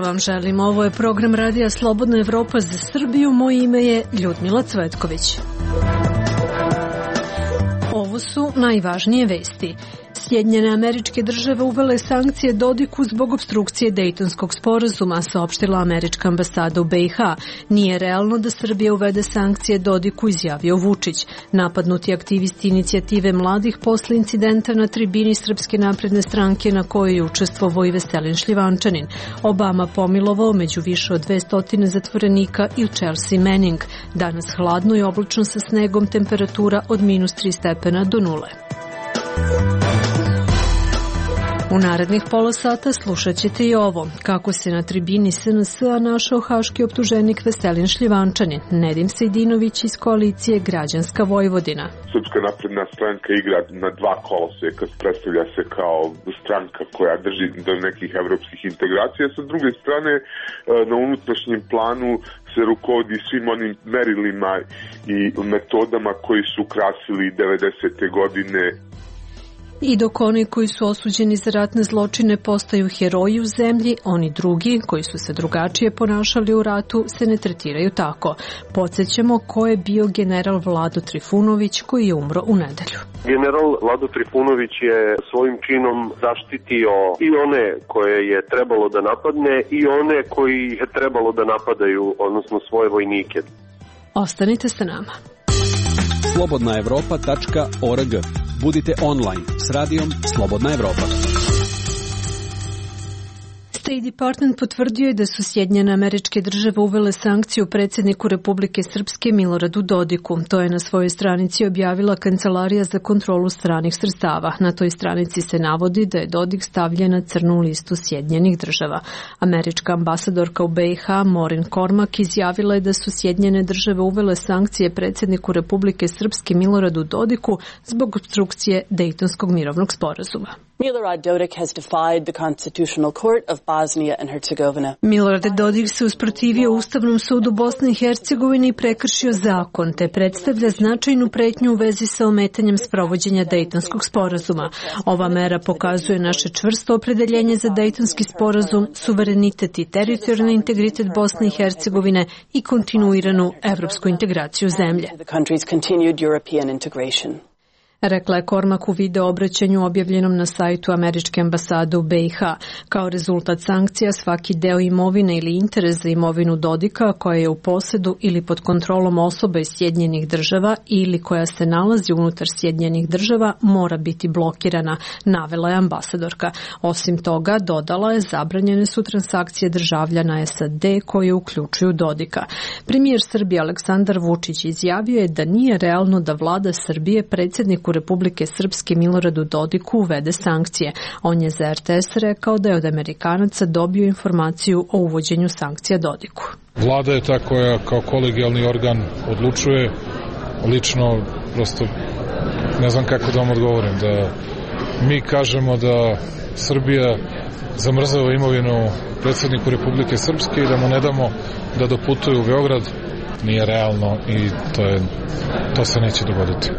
vam želim. Ovo je program Radija Slobodna Evropa za Srbiju. Moje ime je Ljudmila Cvetković. Ovo su najvažnije vesti. Sjedinjene Američke Države uvele sankcije Dodiku zbog opstrukcije Dejtonskog sporazuma, saopštila Američka ambasada u BiH. Nije realno da Srbija uvede sankcije Dodiku, izjavio Vučić. Napadnuti aktivisti inicijative mladih posle incidenta na tribini Srpske napredne stranke na kojoj je učestvovao i Veselin Šljivančanin. Obama pomilovao među više od 200 zatvorenika i Chelsea Manning. Danas hladno i oblačno sa snegom, temperatura od -3 stepena do 0. U narednih pola sata slušat ćete i ovo. Kako se na tribini SNS-a našao haški optuženik Veselin Šljivančanin. Nedim Sejdinović iz koalicije Građanska Vojvodina. Srpska napredna stranka igra na dva koloseka, predstavlja se kao stranka koja drži do nekih evropskih integracija. Sa druge strane, na unutrašnjem planu se rukovodi svim onim merilima i metodama koji su krasili 90. godine. I dok oni koji su osuđeni za ratne zločine postaju heroji u zemlji, oni drugi, koji su se drugačije ponašali u ratu, se ne tretiraju tako. Podsjećamo ko je bio general Vlado Trifunović koji je umro u nedelju. General Vlado Trifunović je svojim činom zaštitio i one koje je trebalo da napadne i one koji je trebalo da napadaju, odnosno svoje vojnike. Ostanite sa nama. Slobodnaevropa.org. Budite online s radijom Slobodna Evropa. State Department potvrdio je da su Sjedinjene Američke Države uvele sankciju predsjedniku Republike Srpske Miloradu Dodiku. To je na svojoj stranici objavila Kancelarija za kontrolu stranih sredstava. Na toj stranici se navodi da je Dodik stavljen na crnu listu Sjedinjenih Država. Američka ambasadorka u BiH Maureen Cormack izjavila je da su Sjedinjene Države uvele sankcije predsjedniku Republike Srpske Miloradu Dodiku zbog opstrukcije Dejtonskog mirovnog sporazuma. Milorad Dodik has defied the Constitutional Court of Bosnia and Herzegovina. Milorad Dodik se usprotivio Ustavnom sudu Bosne i Hercegovine i prekršio zakon, te predstavlja značajnu pretnju u vezi sa ometanjem sprovođenja Dejtonskog sporazuma. Ova mera pokazuje naše čvrsto opredeljenje za Dejtonski sporazum, suverenitet i teritorijalni integritet Bosne i Hercegovine i kontinuiranu evropsku integraciju zemlje. Rekla je Cormack u video obraćanju objavljenom na sajtu Američke ambasade u BiH. Kao rezultat sankcija, svaki deo imovine ili interes za imovinu Dodika koja je u posedu ili pod kontrolom osoba iz Sjedinjenih Država ili koja se nalazi unutar Sjedinjenih Država mora biti blokirana, navela je ambasadorka. Osim toga, dodala je, zabranjene su transakcije državljana SAD koje uključuju Dodika. Premijer Srbije Aleksandar Vučić izjavio je da nije realno da vlada Srbije predsjedniku Republike Srpske Miloradu Dodiku uvede sankcije. On je za RTS rekao da je od Amerikanaca dobio informaciju o uvođenju sankcija Dodiku. Vlada je ta koja kao kolegijalni organ odlučuje. Lično prosto ne znam kako da vam odgovorim. Da mi kažemo da Srbija zamrzava imovinu predsjedniku Republike Srpske i da mu ne damo da doputuje u Beograd, nije realno i to se neće dogoditi.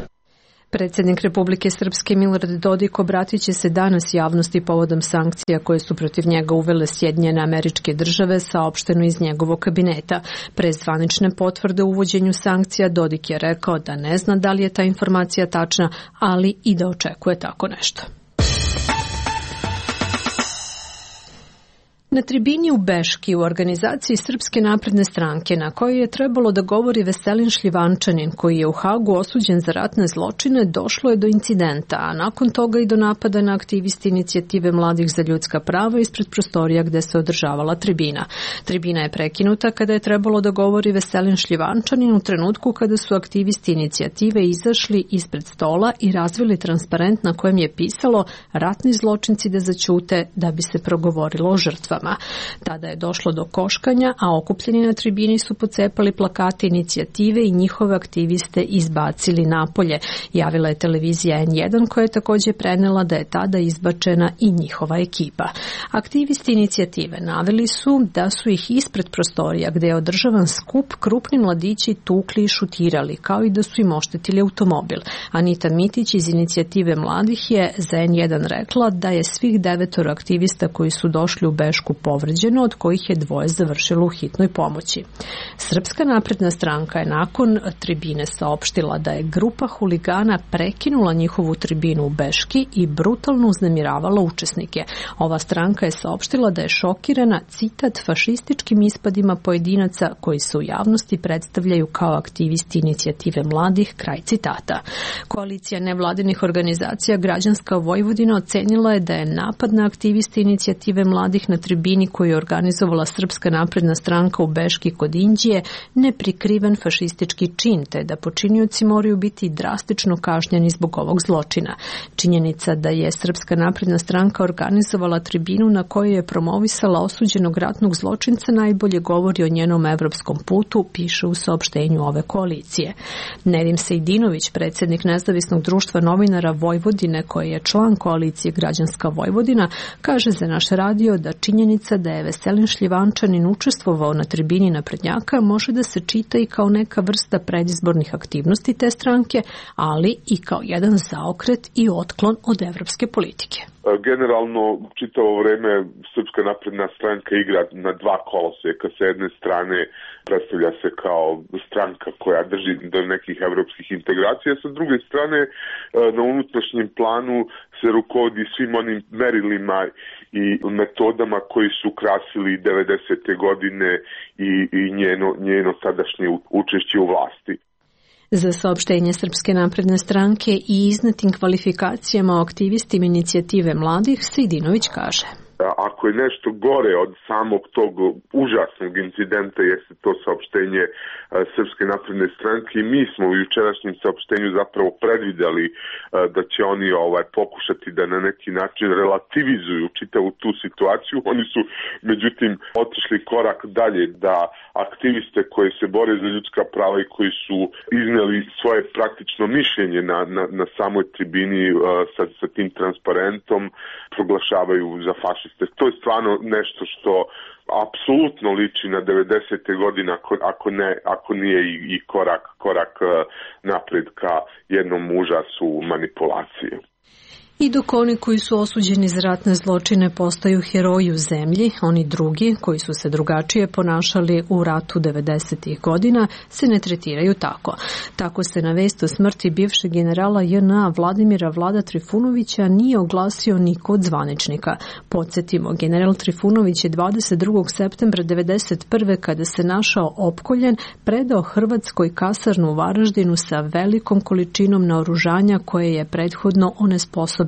Predsjednik Republike Srpske Milorad Dodik obratit će se danas javnosti povodom sankcija koje su protiv njega uvele Sjedinjene Američke Države, saopšteno iz njegovog kabineta. Pre zvanične potvrde o uvođenju sankcija Dodik je rekao da ne zna da li je ta informacija tačna, ali i da očekuje tako nešto. Na tribini u Beški u organizaciji Srpske napredne stranke na kojoj je trebalo da govori Veselin Šljivančanin koji je u Hagu osuđen za ratne zločine, došlo je do incidenta, a nakon toga i do napada na aktivisti inicijative mladih za ljudska prava ispred prostorija gde se održavala tribina. Tribina je prekinuta kada je trebalo da govori Veselin Šljivančanin u trenutku kada su aktivisti inicijative izašli ispred stola i razvili transparent na kojem je pisalo ratni zločinci da zaćute da bi se progovorilo o žrtvama. Tada je došlo do koškanja, a okupljeni na tribini su pocepali plakate inicijative i njihove aktiviste izbacili napolje. Javila je televizija N1 koja je također prenela da je tada izbačena i njihova ekipa. Aktivisti inicijative naveli su da su ih ispred prostorija gde je održavan skup krupni mladići tukli i šutirali, kao i da su im oštetili automobil. Anita Mitić iz inicijative mladih je za N1 rekla da je svih 9 aktivista koji su došli u Bešku tešku povređeno, od kojih je 2 završilo u hitnoj pomoći. Srpska napredna stranka je nakon tribine saopštila da je grupa huligana prekinula njihovu tribinu u Beški i brutalno uznemiravala učesnike. Ova stranka je saopštila da je šokirana, citat, fašističkim ispadima pojedinaca koji se u javnosti predstavljaju kao aktivisti inicijative mladih, kraj citata. Koalicija nevladinih organizacija Građanska Vojvodina ocenila je da je napad na aktiviste inicijative mladih na tribini koju je organizovala Srpska napredna stranka u Beški kod Inđije neprikriven fašistički čin, te da počinioci moraju biti drastično kažnjeni zbog ovog zločina. Činjenica da je Srpska napredna stranka organizovala tribinu na kojoj je promovisala osuđenog ratnog zločinca najbolje govori o njenom evropskom putu, piše u saopštenju ove koalicije. Nedim Sejdinović, predsjednik Nezavisnog društva novinara Vojvodine, koji je član koalicije Građanska Vojvodina, kaže za naš radio da činjenica da je Veselin Šljivančanin učestvovao na tribini naprednjaka može da se čita i kao neka vrsta predizbornih aktivnosti te stranke, ali i kao jedan zaokret i otklon od evropske politike. Generalno, čitavo vreme Srpska napredna stranka igra na 2 koloseka. Sa jedne strane predstavlja se kao stranka koja drži do nekih evropskih integracija, sa druge strane na unutrašnjem planu se rukovodi svim onim merilima i metodama koji su krasili 90. godine i njeno sadašnje učešće u vlasti. Za saopštenje Srpske napredne stranke i iznetim kvalifikacijama o aktivistima inicijative mladih, Sejdinović kaže: Ako je nešto gore od samog tog užasnog incidenta, jeste to saopštenje Srpske napredne stranke i mi smo u jučerašnjem saopštenju zapravo predvideli da će oni pokušati da na neki način relativizuju čitavu tu situaciju. Oni su međutim otišli korak dalje, da aktiviste koji se bore za ljudska prava i koji su izneli svoje praktično mišljenje na samoj tribini sa tim transparentom proglašavaju za fašiste. To je stvarno nešto što apsolutno liči na 90. godine, ako nije i korak napred ka jednom užasu manipulacije. I dok oni koji su osuđeni za ratne zločine postaju heroji u zemlji, oni drugi koji su se drugačije ponašali u ratu 90. godina se ne tretiraju tako. Tako se na vest o smrti bivšeg generala JNA Vladimira Vlada Trifunovića nije oglasio niko od zvaničnika. Podsjetimo, general Trifunović je 22. septembra 1991. kada se našao opkoljen, predao Hrvatskoj kasarnu u Varaždinu sa velikom količinom naoružanja koje je prethodno onesposobljeno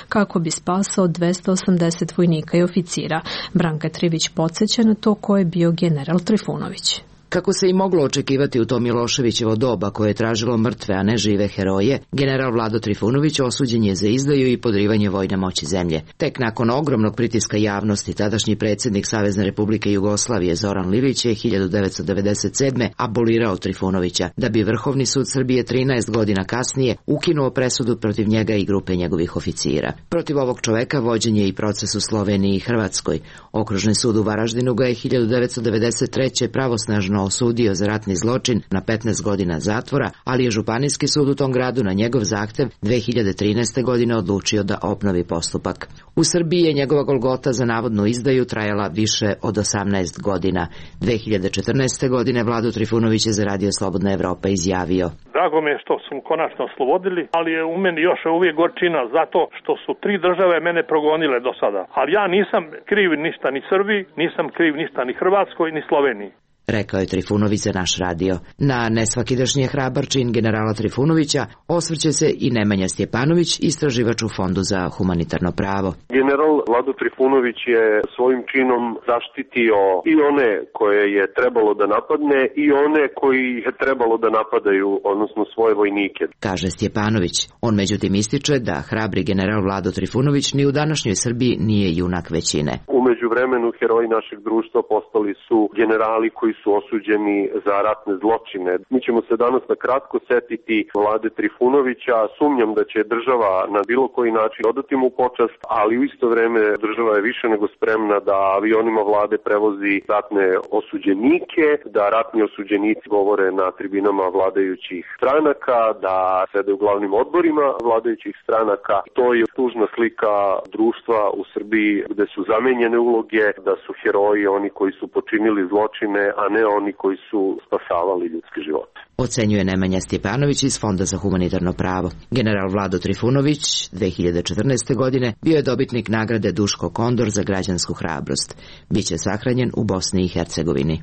kako bi spasao 280 vojnika i oficira. Branka Trivić podsjeća na to ko je bio general Trifunović. Kako se i moglo očekivati u to Miloševićevo doba koje je tražilo mrtve, a ne žive heroje, general Vlado Trifunović osuđen je za izdaju i podrivanje vojne moći zemlje. Tek nakon ogromnog pritiska javnosti, tadašnji predsjednik Savezne Republike Jugoslavije Zoran Lilić je 1997. abolirao Trifunovića, da bi Vrhovni sud Srbije 13 godina kasnije ukinuo presudu protiv njega i grupe njegovih oficira. Protiv ovog čoveka vođen je i proces u Sloveniji i Hrvatskoj. Okružni sud u Varaždinu ga je 1993. pravosnažno osudio za ratni zločin na 15 godina zatvora, ali je Županijski sud u tom gradu na njegov zahtev 2013. godine odlučio da obnovi postupak. U Srbiji je njegova golgota za navodnu izdaju trajala više od 18 godina. 2014. godine Vlado Trifunović je za Radio Slobodna Evropa izjavio: Drago mi je što su konačno oslobodili, ali je u meni još uvijek gorčina zato što su 3 države mene progonile do sada. Ali ja nisam kriv ništa ni Srbiji, nisam kriv ništa ni Hrvatskoj, ni Sloveniji. Rekao je Trifunović za naš radio. Na nesvakidašnji hrabar čin generala Trifunovića osvrće se i Nemanja Stjepanović, istraživač u Fondu za humanitarno pravo. General Vlado Trifunović je svojim činom zaštitio i one koje je trebalo da napadne i one koji je trebalo da napadaju, odnosno svoje vojnike, kaže Stjepanović. On međutim ističe da hrabri general Vlado Trifunović ni u današnjoj Srbiji nije junak većine. U međuvremenu heroji našeg društva postali su generali koji su osuđeni za ratne zločine. Mi ćemo se danas na kratko setiti Vlade Trifunovića. Sumnjam da će država na bilo koji način odati mu počast, ali u isto vreme država je više nego spremna da avionima vlade prevozi ratne osuđenike, da ratni osuđenici govore na tribinama vladajućih stranaka, da sede u glavnim odborima vladajućih stranaka. To je tužna slika društva u Srbiji gde su zamenjene uloge uloge, da su heroji oni koji su počinili zločine, a ne oni koji su spasavali ljudske živote. Ocenjuje Nemanja Stjepanović iz Fonda za humanitarno pravo. General Vlado Trifunović 2014. godine bio je dobitnik nagrade Duško Kondor za građansku hrabrost. Biće sahranjen u Bosni i Hercegovini.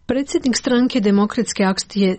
Predsjednik stranke Demokratske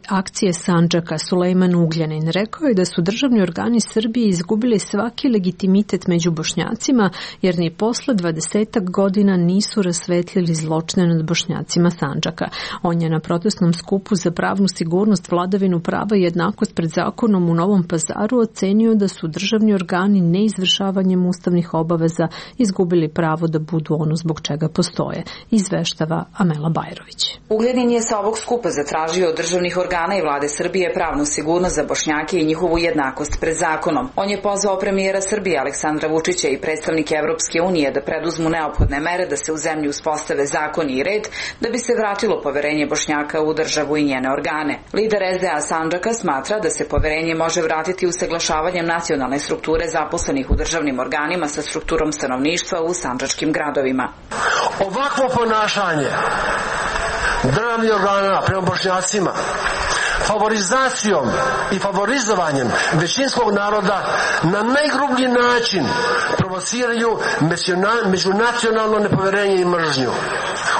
akcije Sandžaka Sulejman Ugljanin rekao je da su državni organi Srbije izgubili svaki legitimitet među Bošnjacima jer ni posle 20 godina nisu rasvetlili zločine nad Bošnjacima Sandžaka. On je na protestnom skupu za pravnu sigurnost, vladavinu prava i jednakost pred zakonom u Novom Pazaru ocenio da su državni organi neizvršavanjem ustavnih obaveza izgubili pravo da budu ono zbog čega postoje, izveštava Amela Bajrović. Ugljanin je sa ovog skupa zatražio od državnih organa i vlade Srbije pravnu sigurnost za Bošnjake i njihovu jednakost pred zakonom. On je pozvao premijera Srbije Aleksandra Vučića i predstavnike Evropske unije da preduzmu neophodne mere da se u zemlji uspostave zakoni i red da bi se vratilo poverenje Bošnjaka u državu i njene organe. Lider SDA Sandžaka smatra da se poverenje može vratiti usaglašavanjem nacionalne strukture zaposlenih u državnim organima sa strukturom stanovništva u sandžačkim gradovima. Ovakvo ponašanje državnih organa prema Bošnjacima, favorizacijom i favorizovanjem većinskog naroda na najgrublji način provociraju međunacionalno nepoverenje i mržnju.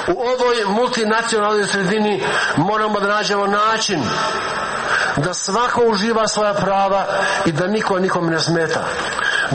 U ovoj multinacionalnoj sredini moramo da nađemo način da svako uživa svoja prava i da niko nikome ne smeta.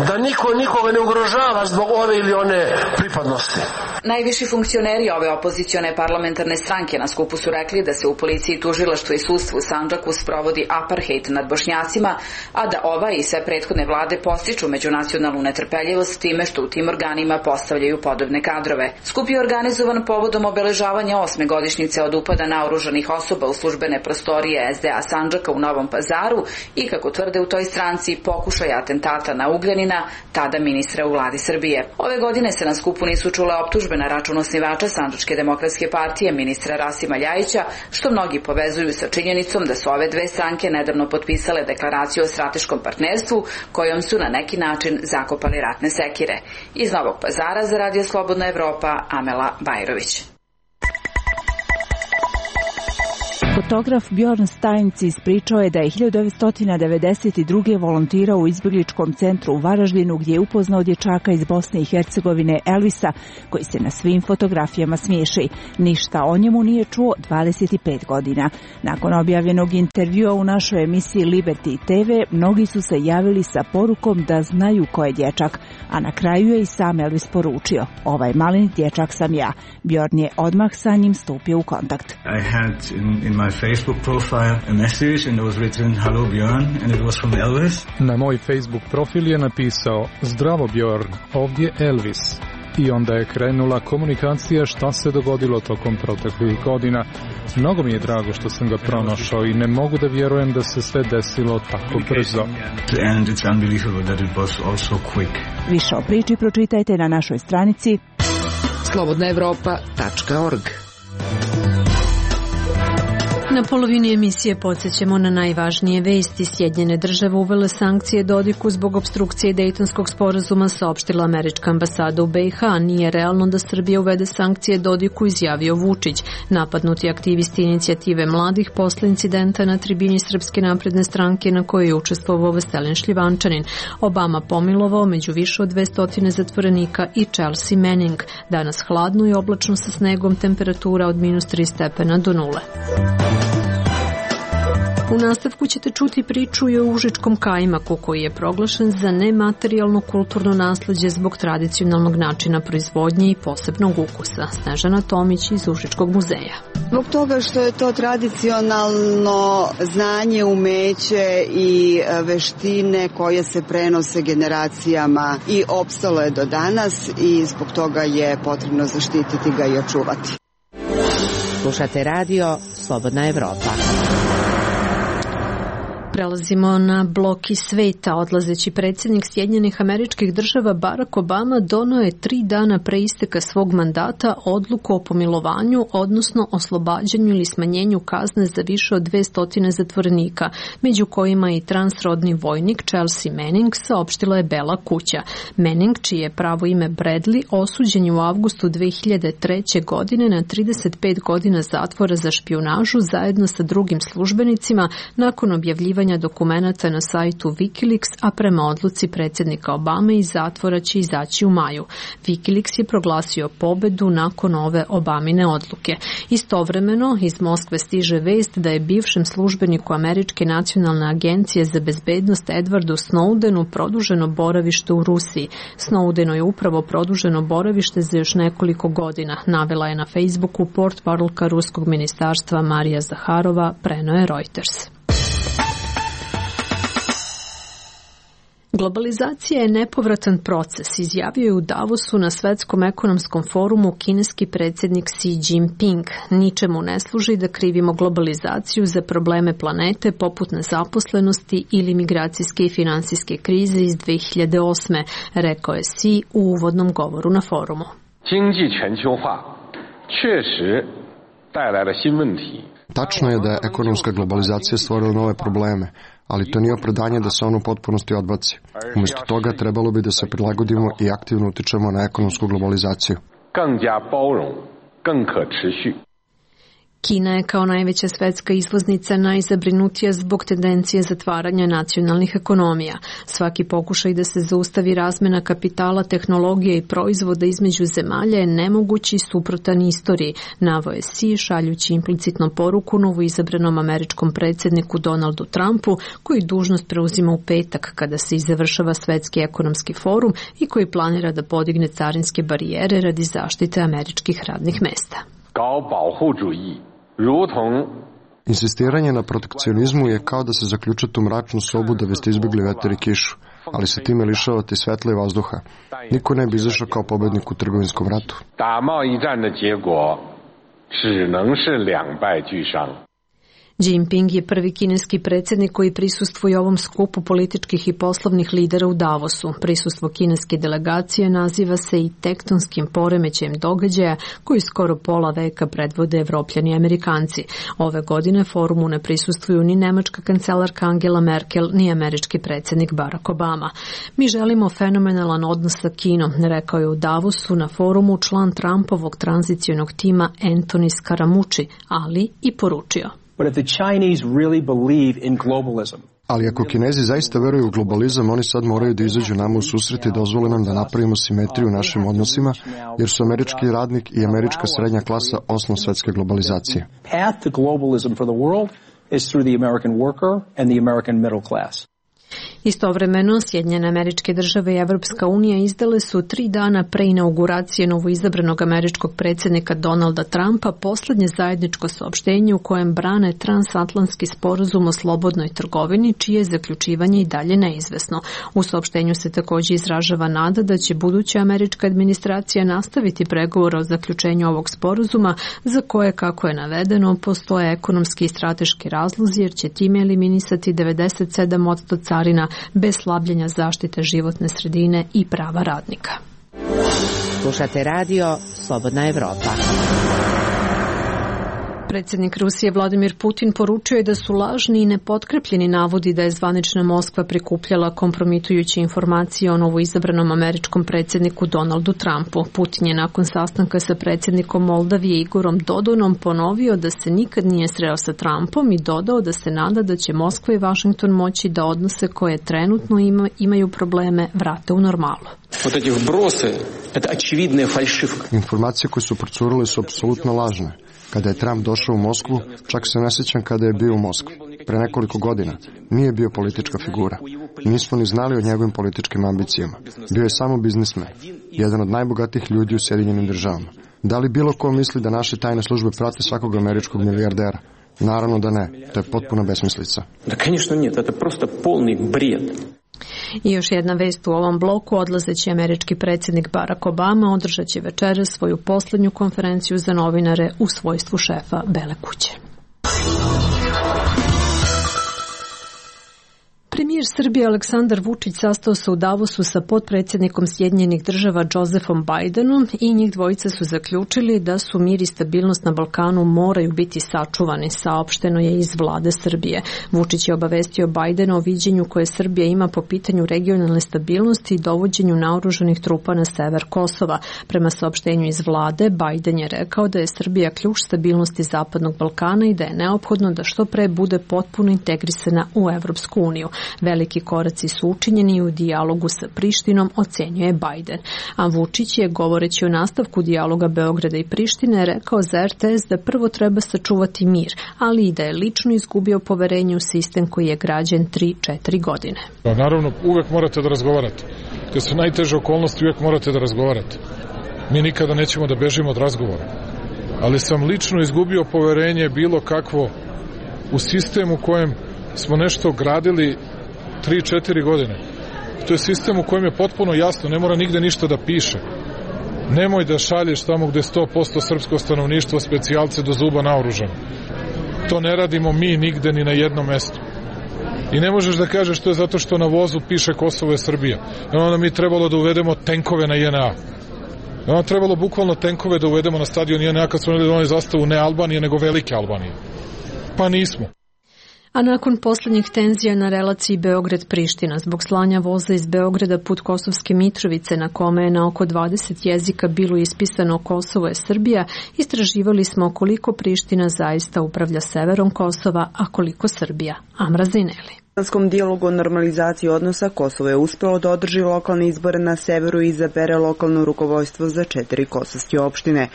Da niko nikoga ne ugrožava zbog ove ili one pripadnosti. Najviši funkcioneri ove opozicione parlamentarne stranke na skupu su rekli da se u policiji, tužilaštvu i sudstvu u Sandžaku sprovodi apartheid nad Bošnjacima, a da ova i sve prethodne vlade podstiču međunacionalnu netrpeljivost time što u tim organima postavljaju podobne kadrove. Skup je organizovan povodom obeležavanja 8. godišnjice od upada naoružanih osoba u službene prostorije SDA Sandžaka u Novom Pazaru i, kako tvrde u toj stranci, pokušaj atentata na Ugljanina, tada ministra u vladi Srbije. Ove godine se na skupu nisu čule optužbe na račun osnivača Sandžačke demokratske partije, ministra Rasima Ljajića, što mnogi povezuju sa činjenicom da su ove dve stranke nedavno potpisale deklaraciju o strateškom partnerstvu kojom su na neki način zakopali ratne sekire. Iz Novog Pazara za Radio Slobodna Evropa, Amela Bajrović. Fotograf Bjorn Steins ispričao je da je 1992. volontirao u izbjegličkom centru u Varaždinu gdje je upoznao dječaka iz Bosne i Hercegovine Elvisa, koji se na svim fotografijama smiješi. Ništa o njemu nije čuo 25 godina. Nakon objavljenog intervjua u našoj emisiji Liberty TV, mnogi su se javili sa porukom da znaju ko je dječak, a na kraju je i sam Elvis poručio: "Ovaj maleni dječak sam ja." Bjorn je odmah sa njim stupio u kontakt. My Facebook profile a message and it was written "Hello Bjorn" and it was from Elvis. Na moj Facebook profil je napisao: "Zdravo Bjorn, ovdje Elvis." I onda je krenula komunikacija šta se dogodilo tokom proteklih godina. Mnogo mi je drago što sam ga pronašao i ne mogu da vjerujem da se sve desilo tako brzo. And it's unbelievable that it was also quick. Više o priči pročitajte na našoj stranici slobodnaevropa.org. Na polovini emisije podsjećamo na najvažnije vesti. Sjedinjene države uvele sankcije Dodiku zbog opstrukcije Dejtonskog sporazuma, saopštila američka ambasada u BiH. Nije realno da Srbija uvede sankcije Dodiku, izjavio Vučić. Napadnuti aktivisti inicijative mladih posle incidenta na tribini Srpske napredne stranke na kojoj je učestvovao Veselin Šljivančanin. Obama pomilovao među više od 200 zatvorenika i Chelsea Manning. Danas hladno i oblačno sa snegom, temperatura od -3 stepena do 0. U nastavku ćete čuti priču i o užičkom kajmaku koji je proglašen za nematerijalno kulturno nasleđe zbog tradicionalnog načina proizvodnje i posebnog ukusa. Snežana Tomić iz Užičkog muzeja. Zbog toga što je to tradicionalno znanje, umeće i veštine koje se prenose generacijama i opstalo je do danas i zbog toga je potrebno zaštititi ga i očuvati. Slušate radio Slobodna Evropa. Prelazimo na blok iz sveta. Odlazeći predsjednik Sjedinjenih Američkih Država Barack Obama donio je 3 dana pre isteka svog mandata odluku o pomilovanju, odnosno oslobađanju ili smanjenju kazne za više od 200 zatvorenika, među kojima i transrodni vojnik Chelsea Manning, saopštila je Bela kuća. Manning, čije je pravo ime Bradley, osuđen je u avgustu 2003. godine na 35 godina zatvora za špijunažu zajedno sa drugim službenicima nakon objavljivanja dokumenata na sajtu Wikileaks, a prema odluci predsjednika Obame iz zatvora će izaći u maju. Wikileaks je proglasio pobedu nakon ove Obamine odluke. Istovremeno, iz Moskve stiže vest da je bivšem službeniku Američke nacionalne agencije za bezbednost Edwardu Snowdenu produženo boravište u Rusiji. Snowdenu je upravo produženo boravište za još nekoliko godina, navela je na Facebooku portparolka ruskog ministarstva Marija Zaharova, preneo je Reuters. Globalizacija je nepovratan proces, izjavio je u Davosu na Svetskom ekonomskom forumu kineski predsjednik Xi Jinping. Ničemu ne služi da krivimo globalizaciju za probleme planete poput nezaposlenosti ili migracijske i finansijske krize iz 2008. rekao je Xi u uvodnom govoru na forumu. Tačno je da je ekonomska globalizacija stvorila nove probleme, ali to nije opravdanje da se ono u potpunosti odbaci. Umjesto toga trebalo bi da se prilagodimo i aktivno utičemo na ekonomsku globalizaciju. Kina je kao najveća svetska izvoznica najzabrinutija zbog tendencije zatvaranja nacionalnih ekonomija. Svaki pokušaj da se zaustavi razmena kapitala, tehnologije i proizvoda između zemalja je nemogući i suprotan istoriji, naveo je Xi šaljući implicitno poruku novoizabranom američkom predsjedniku Donaldu Trumpu, koji dužnost preuzima u petak kada se završava Svetski ekonomski forum i koji planira da podigne carinske barijere radi zaštite američkih radnih mesta. Insistiranje na protekcionizmu je kao da se zaključate u mračnu sobu da biste izbjegli vetar i kišu, ali se time lišavate svetla i vazduha. Niko ne bi izašao kao pobednik u trgovinskom ratu. Jinping je prvi kineski predsjednik koji prisustvuje ovom skupu političkih i poslovnih lidera u Davosu. Prisustvo kineske delegacije naziva se i tektonskim poremećajem događaja koji skoro pola veka predvode Evropljani i Amerikanci. Ove godine forumu ne prisustvuju ni nemačka kancelarka Angela Merkel, ni američki predsjednik Barack Obama. Mi želimo fenomenalan odnos sa Kinom, rekao je u Davosu na forumu član Trumpovog tranzicionog tima Anthony Scaramucci, ali i poručio. Ali ako Kinezi zaista veruju u globalizam, oni sad moraju da izađu nama u susret i dozvole nam da napravimo simetriju u našim odnosima, jer su američki radnik i američka srednja klasa osnov svetske globalizacije. Istovremeno, Sjedinjene Američke Države i Evropska unija izdale su 3 dana pre inauguracije novoizabranog američkog predsjednika Donalda Trumpa poslednje zajedničko saopštenje u kojem brane transatlantski sporazum o slobodnoj trgovini, čije je zaključivanje i dalje neizvesno. U saopštenju se također izražava nada da će buduća američka administracija nastaviti pregovore o zaključenju ovog sporazuma, za koje, kako je navedeno, postoje ekonomski i strateški razlozi, jer će time eliminisati 97% carina bez slabljenja zaštite životne sredine i prava radnika. Slušate radio Slobodna Evropa. Predsjednik Rusije Vladimir Putin poručio je da su lažni i nepotkrepljeni navodi da je zvanična Moskva prikupljala kompromitujuće informacije o novoizabranom američkom predsjedniku Donaldu Trumpu. Putin je nakon sastanka sa predsjednikom Moldavije Igorom Dodonom ponovio da se nikad nije sreo sa Trumpom i dodao da se nada da će Moskva i Washington moći da odnose koje trenutno imaju probleme vrate u normalu. Informacije koje su procurile su apsolutno lažne. Kada je Trump došao u Moskvu, čak se ne sjećam kada je bio u Moskvi. Pre nekoliko godina nije bio politička figura. Nismo ni znali o njegovim političkim ambicijama. Bio je samo biznismen, jedan od najbogatijih ljudi u Sjedinjenim Državama. Da li bilo ko misli da naše tajne službe prate svakog američkog milijardera? Naravno da ne, to je potpuna besmislica. Da, конечно нет, это просто полный бред. I još jedna vest u ovom bloku, odlazeći američki predsjednik Barack Obama održat će večeras svoju posljednju konferenciju za novinare u svojstvu šefa Bele kuće. Premijer Srbije Aleksandar Vučić sastao se u Davosu sa potpredsjednikom Sjedinjenih Država Josefom Bidenom i njih dvojica su zaključili da su mir i stabilnost na Balkanu moraju biti sačuvani, saopšteno je iz vlade Srbije. Vučić je obavestio Bidena o viđenju koje Srbija ima po pitanju regionalne stabilnosti i dovođenju naoružanih trupa na sever Kosova. Prema saopštenju iz vlade, Biden je rekao da je Srbija ključ stabilnosti Zapadnog Balkana i da je neophodno da što pre bude potpuno integrisana u Evropsku uniju. Veliki koraci su učinjeni u dijalogu sa Prištinom, ocenjuje Biden. A Vučić je, govoreći o nastavku dijaloga Beograda i Prištine, rekao za RTS da prvo treba sačuvati mir, ali i da je lično izgubio poverenje u sistem koji je građen 3-4 godine. Naravno, uvek morate da razgovarate. Kad su najteže okolnosti, uvek morate da razgovarate. Mi nikada nećemo da bežimo od razgovora. Ali sam lično izgubio poverenje bilo kakvo u sistemu u kojem smo nešto gradili 3-4 godine. To je sistem u kojem je potpuno jasno, ne mora nigde ništa da piše. Nemoj da šalješ tamo gde 100% srpsko stanovništvo specijalce do zuba naoružano. To ne radimo mi nigde ni na jednom mestu. I ne možeš da kažeš to je zato što na vozu piše Kosovo je Srbija. Onda mi trebalo da uvedemo tenkove na JNA. Onda trebalo bukvalno tenkove da uvedemo na stadion JNA kad smo doneli zastavu ne Albanije, nego Velike Albanije. Pa nismo. A nakon poslednjih tenzija na relaciji Beograd-Priština, zbog slanja voza iz Beograda put Kosovske Mitrovice, na kome je na oko 20 jezika bilo ispisano Kosovo je Srbija, istraživali smo koliko Priština zaista upravlja severom Kosova, a koliko Srbija. Amra Zineli. U balkanskom dijalogu o normalizaciji odnosa Kosovo je uspelo da održi lokalne izbore na severu i izabere lokalno rukovodstvo za 4 kosovske opštine.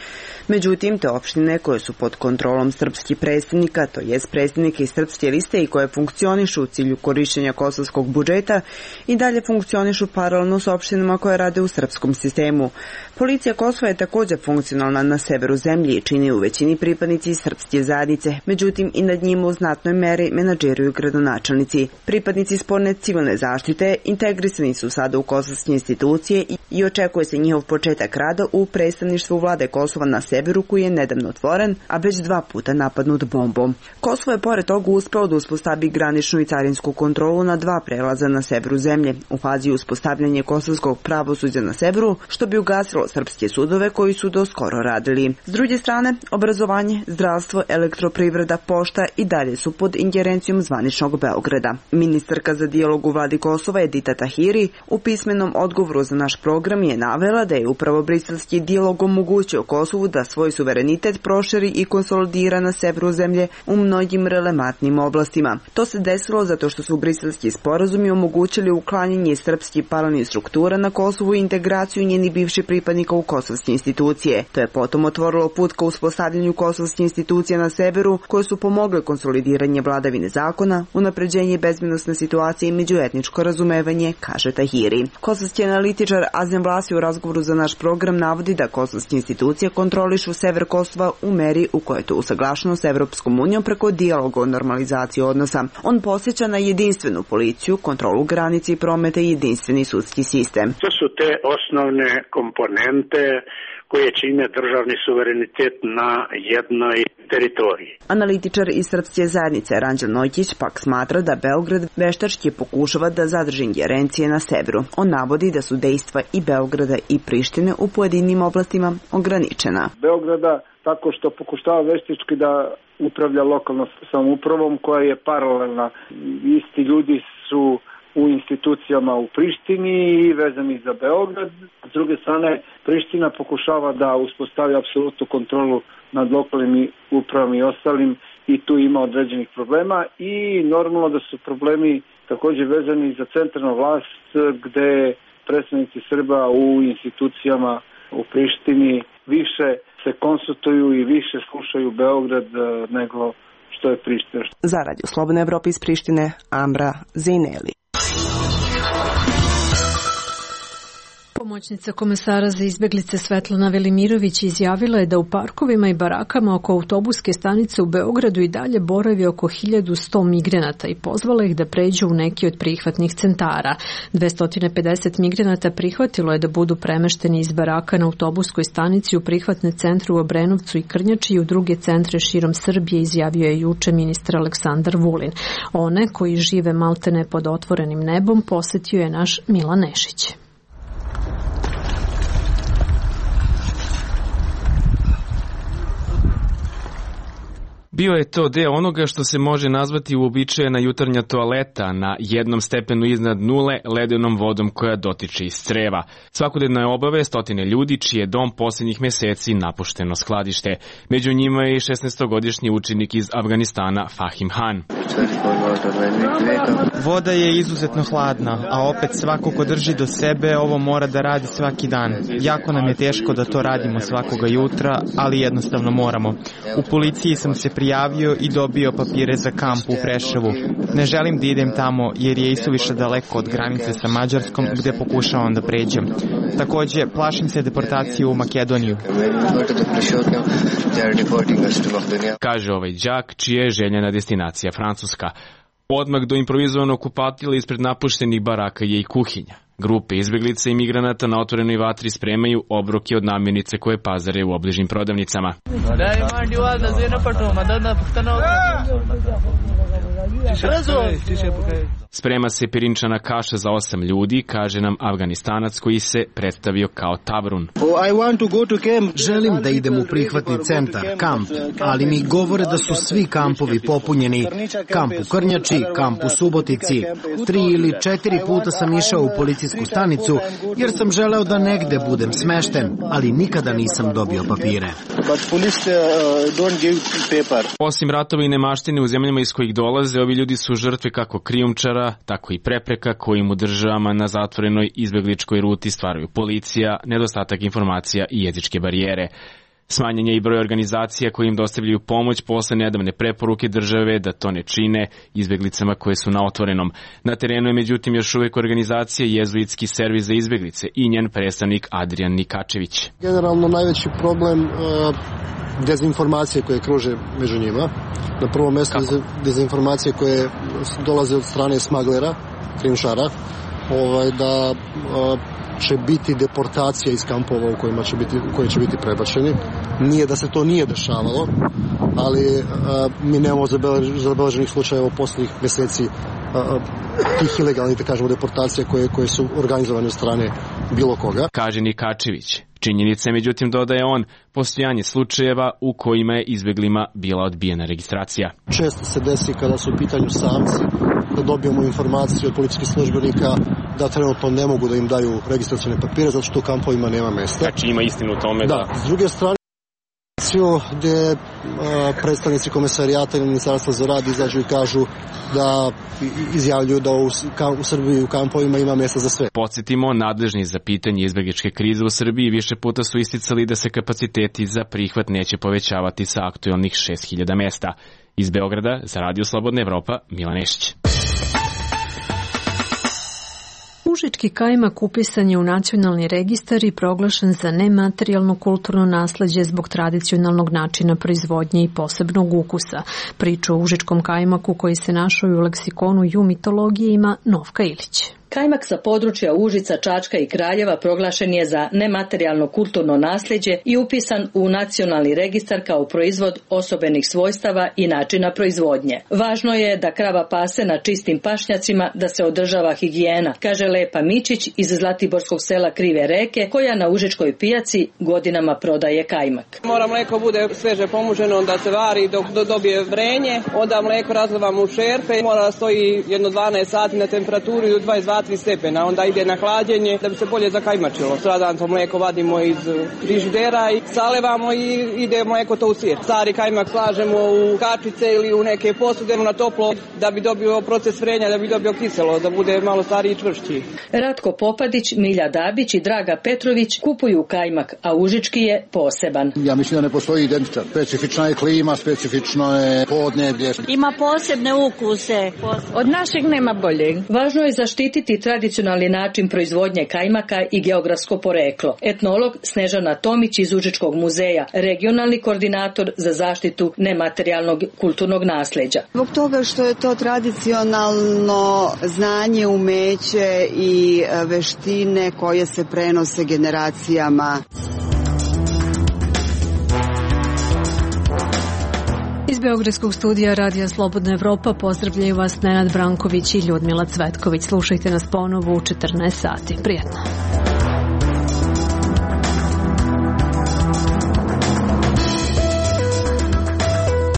Međutim, te opštine koje su pod kontrolom srpskih predstavnika, to jest predstavnike iz srpske liste i koje funkcionišu u cilju korišćenja kosovskog budžeta, i dalje funkcionišu paralelno s opštinama koje rade u srpskom sistemu. Policija Kosova je također funkcionalna na severu zemlje i čini u većini pripadnici srpske zajednice, međutim i nad njima u znatnoj meri menadžeruju gradonačelnici. Pripadnici sporne civilne zaštite integrisani su sada u kosovske institucije i očekuje se njihov početak rada u predstavništvu vlade Kosova na severu koji je nedavno otvoren, a već 2 puta napadnut bombom. Kosovo je pored toga uspelo da uspostavi graničnu i carinsku kontrolu na 2 prelaza na severu zemlje, u fazi uspostavljanja kosovskog pravosuđa na severu, što bi ugasilo srpske sudove koji su do skoro radili. S druge strane, obrazovanje, zdravstvo, elektroprivreda, pošta i dalje su pod ingerencijom zvaničnog Beograda. Ministarka za dijalog u vladi Kosova Edita Tahiri u pismenom odgovoru za naš program je navela da je upravo briselski dijalog omogućio Kosovu da svoj suverenitet proširi i konsolidira na severu zemlje u mnogim relevantnim oblastima. To se desilo zato što su briselski sporazumi omogućili uklanjanje srpskih paralelnih struktura na Kosovu i integraciju njenih bivših pripadnika u kosovske institucije. To je potom otvorilo put ka uspostavljanju kosovskih institucija na severu koje su pomogle konsolidiranje vladavine zakona, unapređenje bezbednosne situacije i međuetničko razumevanje, kaže Tahiri. Kosovski analitičar Azem Vlasi u razgovoru za naš program navodi da kosovske institucije kontrolišu sever Kosova u meri u kojoj je to usaglašeno s Evropskom unijom preko dijaloga o normalizaciji odnosa. On posjeća na jedinstvenu policiju, kontrolu granice i prometa i jedinstveni sudski sistem. To su te osnovne komponente koje čine državni suverenitet na jednoj teritoriji. Analitičar iz srpske zajednice Ranđel Nojkić pak smatra da Beograd veštački pokušava da zadrži ingerencije na severu. On navodi da su dejstva i Beograda i Prištine u pojedinim oblastima ograničena. Beograda tako što pokušava veštački da upravlja lokalnom samoupravom koja je paralelna. Isti ljudi su u institucijama u Prištini i vezani za Beograd. S druge strane, Priština pokušava da uspostavi apsolutnu kontrolu nad lokalnim upravama i ostalim i tu ima određenih problema i normalno da su problemi također vezani za centralnu vlast gde predstavnici Srba u institucijama u Prištini više se konsultuju i više slušaju Beograd nego što je Priština. Za Radio Slobodna Evropa iz Prištine, Amra Zineli. Pomoćnica komesara za izbeglice Svetlana Velimirović izjavila je da u parkovima i barakama oko autobuske stanice u Beogradu i dalje boravi oko 1100 migranata i pozvala ih da pređu u neki od prihvatnih centara. 250 migranata prihvatilo je da budu premešteni iz baraka na autobuskoj stanici u prihvatne centre u Obrenovcu i Krnjači i u druge centre širom Srbije, izjavio je juče ministar Aleksandar Vulin. One koji žive maltene pod otvorenim nebom posetio je naš Milan Nešić. Bio je to deo onoga što se može nazvati uobičajena jutarnja toaleta na jednom stepenu iznad nule ledenom vodom koja dotiče iz creva. Svakodnevno je obave stotine ljudi čiji je dom posljednjih meseci napušteno skladište. Među njima je i 16-godišnji učenik iz Afganistana Fahim Han. Voda je izuzetno hladna, a opet svako ko drži do sebe ovo mora da radi svaki dan. Jako nam je teško da to radimo svakoga jutra, ali jednostavno moramo. U policiji sam se prijavio i dobio papire za kamp u Preševu. Ne želim da idem tamo jer je isuviše daleko od granice sa Mađarskom gde pokušavam da pređem. Takođe, plašim se deportacije u Makedoniju. Kaže ovaj đak čija je željena destinacija Francuska. Odmah do improvizovanog kupatila ispred napuštenih baraka je i kuhinja. Grupe izbeglica i migranata na otvorenoj vatri spremaju obroke od namirnice koje pazare u obližnim prodavnicama. Sprema se pirinčana kaša za 8 ljudi, kaže nam Afganistanac koji se predstavio kao Tavrun. Želim da idem u prihvatni centar, kamp, ali mi govore da su svi kampovi popunjeni. Kamp u Krnjači, kamp u Subotici. 3 ili 4 puta sam išao u policijsku stanicu jer sam želeo da negde budem smešten, ali nikada nisam dobio papire. Osim ratova i nemaštine u zemljama iz kojih dolaze, ovi ljudi su žrtve kako krijumčara, tako i prepreka kojim u državama na zatvorenoj izbegličkoj ruti stvaraju policija, nedostatak informacija i jezičke barijere. Smanjen je i broj organizacija koji im dostavljaju pomoć posle nedavne preporuke države da to ne čine izbeglicama koje su na otvorenom. Na terenu je međutim još uvek organizacija Jezuitski servis za izbeglice i njen predstavnik Adrian Nikačević. Generalno najveći problem dezinformacije koje kruže među njima. Na prvo mjesto dezinformacije koje dolaze od strane smaglera, krijumčara, da će biti deportacija iz kampova u koje će biti prebačeni. Nije da se to nije dešavalo, ali mi nemamo zabeleženih slučajeva u posljednjih mjeseci tih ilegalnih, da kažemo, deportacija koje su organizovane od strane bilo koga. Kaže Nikačević. Činjenica je, međutim, dodaje on, postojanje slučajeva u kojima je izbeglima bila odbijena registracija. Često se desi kada su u pitanju samci da dobijemo informaciju od policijskih službenika da trenutno ne mogu da im daju registracione papire zato što u kampovima nema mesta. Znači ima istinu u tome da... S druge strane, gde predstavnici komesarijata i ministarstva za rad izađu i kažu da izjavljuju da u Srbiji u kampovima ima mjesta za sve. Podsjetimo, nadležni za pitanje izbegličke krize u Srbiji više puta su isticali da se kapaciteti za prihvat neće povećavati sa aktualnih 6000 mesta. Iz Beograda za Radio Slobodna Evropa, Milan Nešić. Užički kajmak upisan je u nacionalni registar i proglašen za nematerijalno kulturno nasleđe zbog tradicionalnog načina proizvodnje i posebnog ukusa. Priču o užičkom kajmaku koji se našao u leksikonu ju mitologije ima Novka Ilić. Kajmak sa područja Užica, Čačka i Kraljeva proglašen je za nematerijalno kulturno nasljeđe i upisan u nacionalni registar kao proizvod osobenih svojstava i načina proizvodnje. Važno je da krava pase na čistim pašnjacima, da se održava higijena, kaže Lepa Mičić iz zlatiborskog sela Krive Reke, koja na Užičkoj pijaci godinama prodaje kajmak. Mora mleko bude sveže pomuženo, onda se vari dok dobije vrenje, onda mleko razlivamo u šerpe, mora stoji jedno 12 sati na temperaturi do 22 stepena, onda ide na hlađenje da bi se bolje zakajmačilo. Sutradan to mleko vadimo iz frižidera i salevamo i ide mleko to u sir. Stari kajmak slažemo u kačice ili u neke posude na toplo da bi dobio proces vrenja, da bi dobio kiselo, da bude malo stariji i čvršći. Ratko Popadić, Milja Dabić i Draga Petrović kupuju kajmak, a užički je poseban. Ja mislim da ne postoji identičan. Specifična je klima, specifično je podneblje. Ima posebne ukuse. Od našeg nema boljeg. Važno je zaštititi razumjeti tradicionalni način proizvodnje kajmaka i geografsko poreklo. Etnolog Snežana Tomić iz Užičkog muzeja, regionalni koordinator za zaštitu nematerijalnog kulturnog nasleđa. Zbog toga što je to tradicionalno znanje, umeće i veštine koje se prenose generacijama. Iz Beogradskog studija Radija Slobodna Evropa pozdravljaju vas Nenad Branković i Ljudmila Cvetković. Slušajte nas ponovo u 14 sati. Prijetno.